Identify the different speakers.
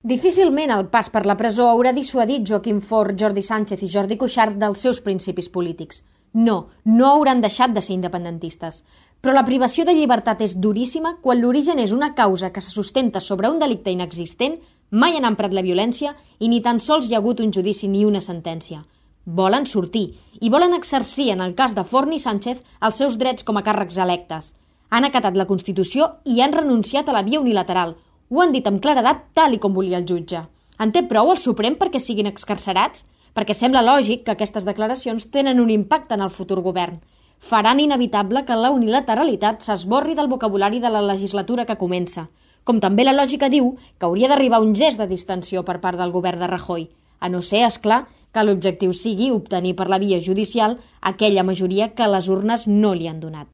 Speaker 1: Difícilment el pas per la presó haurà dissuadit Joaquim Forn, Jordi Sánchez i Jordi Cuixart dels seus principis polítics. No hauran deixat de ser independentistes. Però la privació de llibertat és duríssima quan l'origen és una causa que se sustenta sobre un delicte inexistent, mai han emprat la violència i ni tan sols hi ha hagut un judici ni una sentència. Volen sortir i volen exercir, en el cas de Forn i Sánchez, els seus drets com a càrrecs electes. Han acatat la Constitució i han renunciat a la via unilateral. Ho han dit amb claredat tal i com volia el jutge. En té prou el Suprem perquè siguin excarcerats? Perquè sembla lògic que aquestes declaracions tenen un impacte en el futur govern. Faran inevitable que la unilateralitat s'esborri del vocabulari de la legislatura que comença. Com també la lògica diu que hauria d'arribar un gest de distensió per part del govern de Rajoy, a no ser, és clar, que l'objectiu sigui obtenir per la via judicial aquella majoria que les urnes no li han donat.